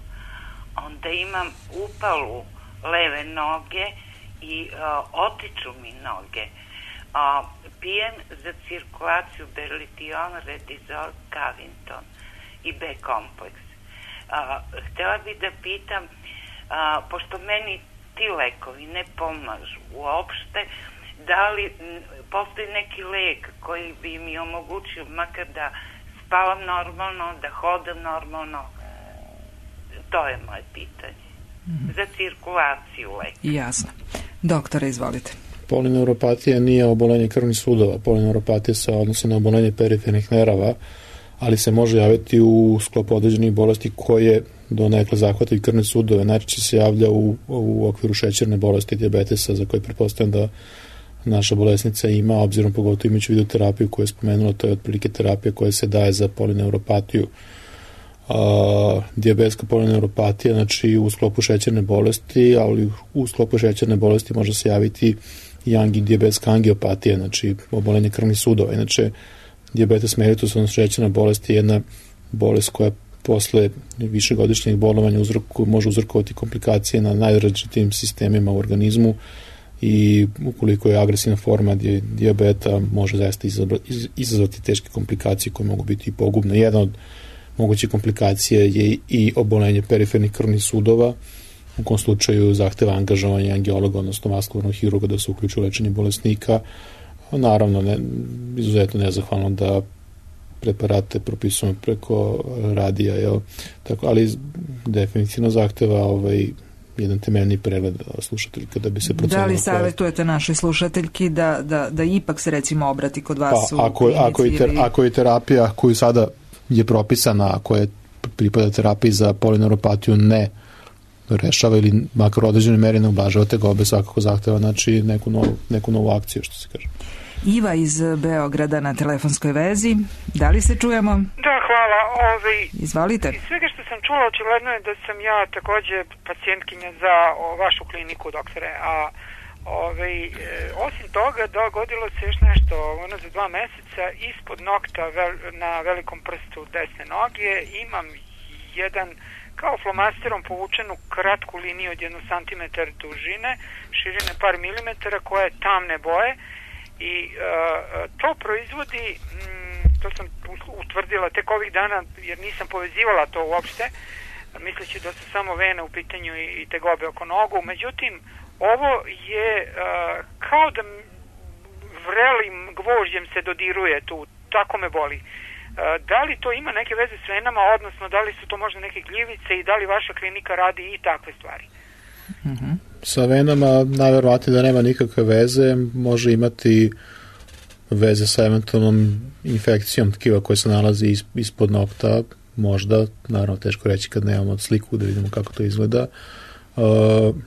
onda imam upalu leve noge i otiču mi noge. Pijem za cirkulaciju Berlition, Redizol, Cavinton i B-kompleks. Htjela bih da pitam, pošto meni ti lekovi ne pomažu uopšte, da li postoji neki lek koji bi mi omogućio makar da spavam normalno, da hodam normalno? To je moje pitanje. Za cirkulaciju leka.
Jasno. Doktore, izvolite.
Polineuropatija nije obolenje krvnih sudova. Polineuropatija se odnosi na obolenje perifernih nerava, ali se može javiti u sklopu određenih bolesti koje donekle zahvataju krvne sudove. Najčešće se javlja u okviru šećerne bolesti, dijabetesa, za koje pretpostavljam da naša bolesnica ima, obzirom pogotovo imajući vidu terapiju koju je spomenula, to je otprilike terapija koja se daje za polineuropatiju. Dijabetska polineuropatija, znači u sklopu šećerne bolesti, ali u sklopu šećerne bolesti može se javiti i dijabetska angiopatija, znači obolenje krvnih sudova. Inače, dijabetes mellitus, odnosno šećerna bolest, je jedna bolest koja posle višegodišnjeg bolovanja može uzrokovati komplikacije na najrazličitijim sistemima u organizmu i ukoliko je agresivna forma dijabeta može zaista izazvati teške komplikacije koje mogu biti i pogubne. Jedan od moguće komplikacije je i obolenje perifernih krvnih sudova, u kom slučaju zahteva angažovanje angiologa, odnosno vaskularnog hirurga da se uključi u lečenje bolesnika. Naravno, izuzetno nezahvalno da preparate propisujemo preko radija, tako, ali definitivno zahteva jedan temeljni pregled slušateljka da bi se procenilo.
Da li savjetujete našoj slušateljki da ipak se recimo obrati kod vas u
klinici? Ako je terapija koju sada je propisana, ako je pripada terapiji za polineuropatiju ne rešava ili makar u određenoj meri ne ublažava tegobe, svakako zahteva neku novu akciju, što se kaže.
Iva iz Beograda na telefonskoj vezi. Da li se čujemo?
Da, hvala.
Izvalite.
Iz svega što sam čula, očigledno je da sam ja takođe pacijentkinja za vašu kliniku, doktore. Osim toga, dogodilo se još nešto za 2 meseca ispod nokta na velikom prstu desne noge. Imam jedan kao flomasterom povučenu kratku liniju od 1 cm dužine, širine par milimetara, koja je tamne boje. I to proizvodi, to sam utvrdila tek ovih dana jer nisam povezivala to uopšte, misleći da su samo vene u pitanju i tegobe oko nogu. Međutim, ovo je kao da vrelim gvožđem se dodiruje tu, tako me boli. Da li to ima neke veze s venama, odnosno da li su to možda neke gljivice i da li vaša klinika radi i takve stvari?
Sa venama najverovatnije da nema nikakve veze, može imati veze sa eventualnom infekcijom tkiva koja se nalazi ispod nokta, možda, naravno teško reći kad nemamo sliku da vidimo kako to izgleda.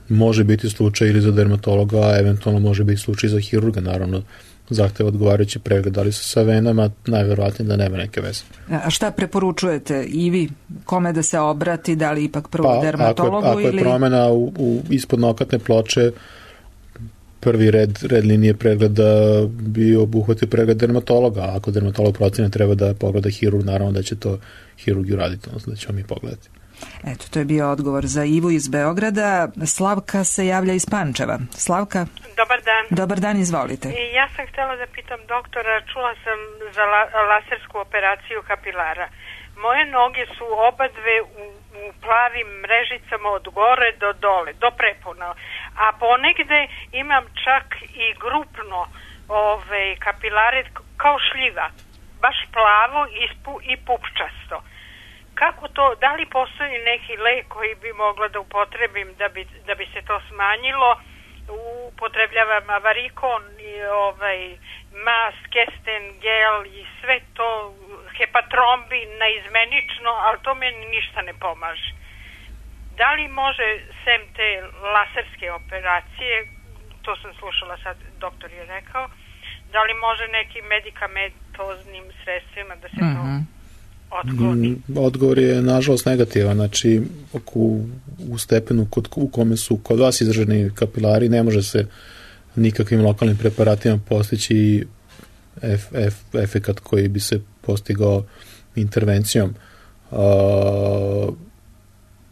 Može biti slučaj ili za dermatologa, a eventualno može biti slučaj za hirurga, naravno zahteva odgovarajući pregled, ali sa venama najverovatnije da nema neke veze.
A šta preporučujete i vi? Kome da se obrati, da li ipak prvo dermatologu?
Ako je promena ispod nokatne ploče, prvi red linije pregleda bi obuhvatio pregled dermatologa, a ako dermatolog procene treba da pogleda hirurg, naravno da će to hirurg uraditi, odnosno da ćemo mi pogledati.
Eto, to je bio odgovor za Ivu iz Beograda. Slavka se javlja iz Pančeva. Slavka?
Dobar dan.
Dobar dan, izvolite.
Ja sam htjela da pitam doktora, čula sam za lasersku operaciju kapilara. Moje noge su oba dve u plavim mrežicama od gore do dole, do prepona. A ponegde imam čak i grupno kapilare kao šljiva. Baš plavo i pupčasto. Kako to, da li postoji neki lek koji bi mogla da upotrebim da bi se to smanjilo? Upotrebljavam avarikon i mas, kesten, gel i sve to, hepatrombi naizmenično, ali to meni ništa ne pomaže. Da li može, sem te laserske operacije, to sam slušala sad, doktor je rekao, da li može nekim medikamentoznim sredstvima da se to otkloni?
Odgovor je nažalost negativan, znači u stepenu u kome su kod vas izraženi kapilari ne može se nikakvim lokalnim preparatima postići efekat koji bi se postigao intervencijom.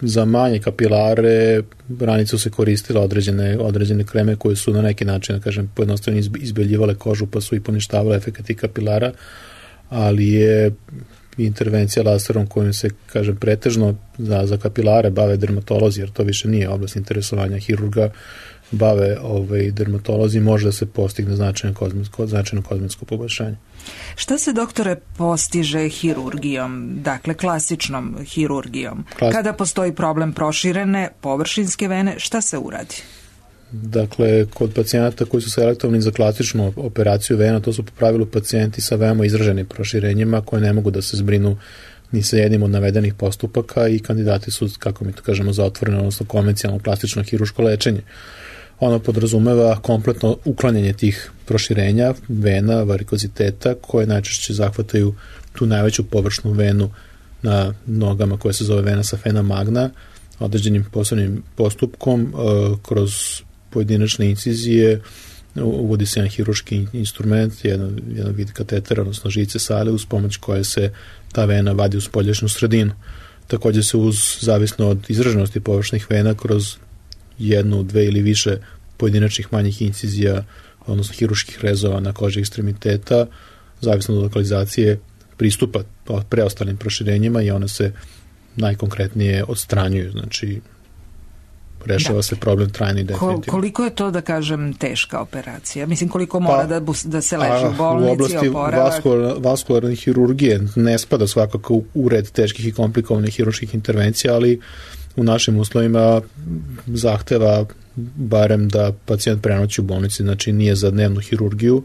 Za manje kapilare ranije su se koristile određene kreme koje su na neki način, da kažem, pojednostavno izbeljivale kožu pa su i poništavale efekati kapilara, ali je intervencija laserom kojim se, kažem, pretežno za kapilare bave dermatolozi, jer to više nije oblast interesovanja hirurga, bave dermatolozi, može da se postigne značajno kozmetsko poboljšanje.
Šta se, doktore, postiže hirurgijom, dakle klasičnom hirurgijom? Kada postoji problem proširene površinske vene, šta se uradi?
Dakle, kod pacijenata koji su selektovani za klasičnu operaciju vena, to su po pravilu pacijenti sa veoma izraženim proširenjima koje ne mogu da se zbrinu ni sa jednim od navedenih postupaka i kandidati su, kako mi to kažemo, za otvoreno, odnosno konvencionalno plastično hiruško lečenje. Ono podrazumeva kompletno uklanjanje tih proširenja, vena, varikoziteta, koje najčešće zahvataju tu najveću površnu venu na nogama koja se zove vena safena magna, određenim posebnim postupkom kroz pojedinačne incizije uvodi se jedan hiruški instrument, jedan vid katetera, odnosno žice sale, uz pomoć koje se ta vena vadi u spoljašnju sredinu. Također se zavisno od izraženosti površnih vena kroz jednu, dve ili više pojedinačnih manjih incizija, odnosno hiruških rezova na koži ekstremiteta, zavisno od lokalizacije pristupa preostalim proširenjima i one se najkonkretnije odstranjuju, znači rešava se problem trajno i definitivno.
Koliko je to, da kažem, teška operacija? Mislim, koliko mora da se leži u bolnici, oporavak?
U oblasti vaskularne hirurgije ne spada svakako u red teških i komplikovanih hirurških intervencija, ali u našim uslovima zahteva barem da pacijent prenoći u bolnici, znači nije za dnevnu hirurgiju,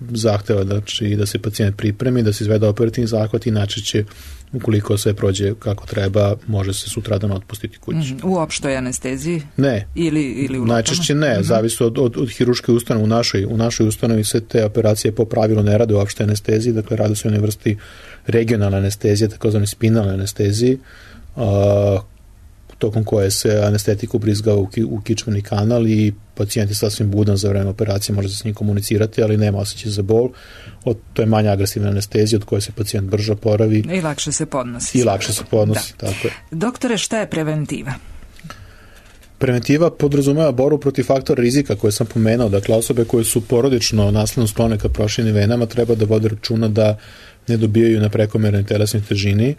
zahteva da se pacijent pripremi, da se izvede operativni zahvat i najčešće, ukoliko sve prođe kako treba, može se sutradan otpustiti kući.
U opštoj anesteziji?
Ne.
Ili u lokama?
Najčešće ne, zavisi od hirurške ustanove. U našoj ustanovi se te operacije po pravilu ne rade u opštoj anesteziji, dakle rade se o jednoj vrsti regionalne anestezije, takozvane spinalne anesteziji, tokom koje se anestetik ubrizgava u kičmeni kanal i pacijent je sasvim budan za vreme operacije, može se s njim komunicirati, ali nema osjećaj za bol. To je manja agresivna anestezija od koje se pacijent brže oporavi.
I lakše se podnosi.
Tako je.
Doktore, šta je preventiva?
Preventiva podrazumeva borbu protiv faktora rizika koje sam pomenuo, dakle osobe koje su porodično nasledno sklone ka proširenim venama treba da vode računa da ne dobijaju na prekomernoj telesnoj težini,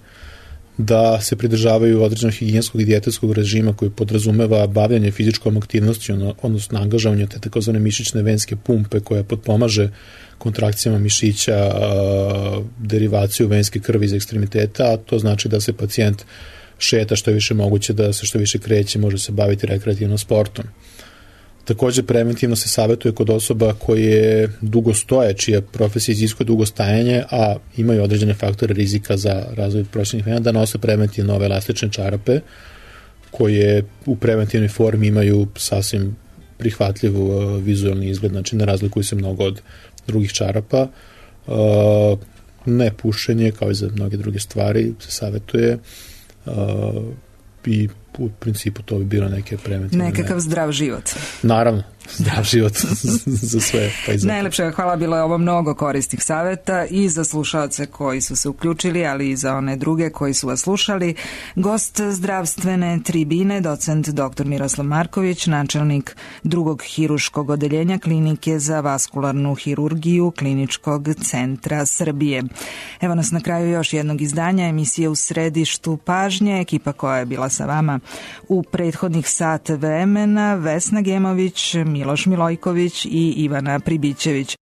da se pridržavaju određenog higijenskog i dijetetskog režima koji podrazumeva bavljanje fizičkom aktivnosti, odnosno angažavanje te takozvane mišićne venske pumpe koja potpomaže kontrakcijama mišića, derivaciju venske krvi iz ekstremiteta, a to znači da se pacijent šeta što je više moguće, da se što više kreće, može se baviti rekreativnom sportom. Također preventivno se savjetuje kod osoba koje dugo stoje, čija profesija iziskuje dugo stajanje, a imaju određene faktore rizika za razvoj proširenih vena, da nose preventivno ove elastične čarape koje u preventivnoj formi imaju sasvim prihvatljiv vizualni izgled, znači ne razlikuju se mnogo od drugih čarapa. Ne pušenje, kao i za mnoge druge stvari, se savjetuje i u principu to bi bilo neke preventivne.
Nekakav zdrav život.
Naravno, zdrav život za sve.
Najlepše hvala, bilo je ovo mnogo korisnih savjeta i za slušaoce koji su se uključili, ali i za one druge koji su vas slušali. Gost zdravstvene tribine, docent dr. Miroslav Marković, načelnik drugog hiruškog odeljenja Klinike za vaskularnu hirurgiju Kliničkog centra Srbije. Evo nas na kraju još jednog izdanja emisije U središtu pažnje. Ekipa koja je bila sa vama u prethodnih sat vremena: Vesna Gemović, Miloš Milojković i Ivana Pribićević.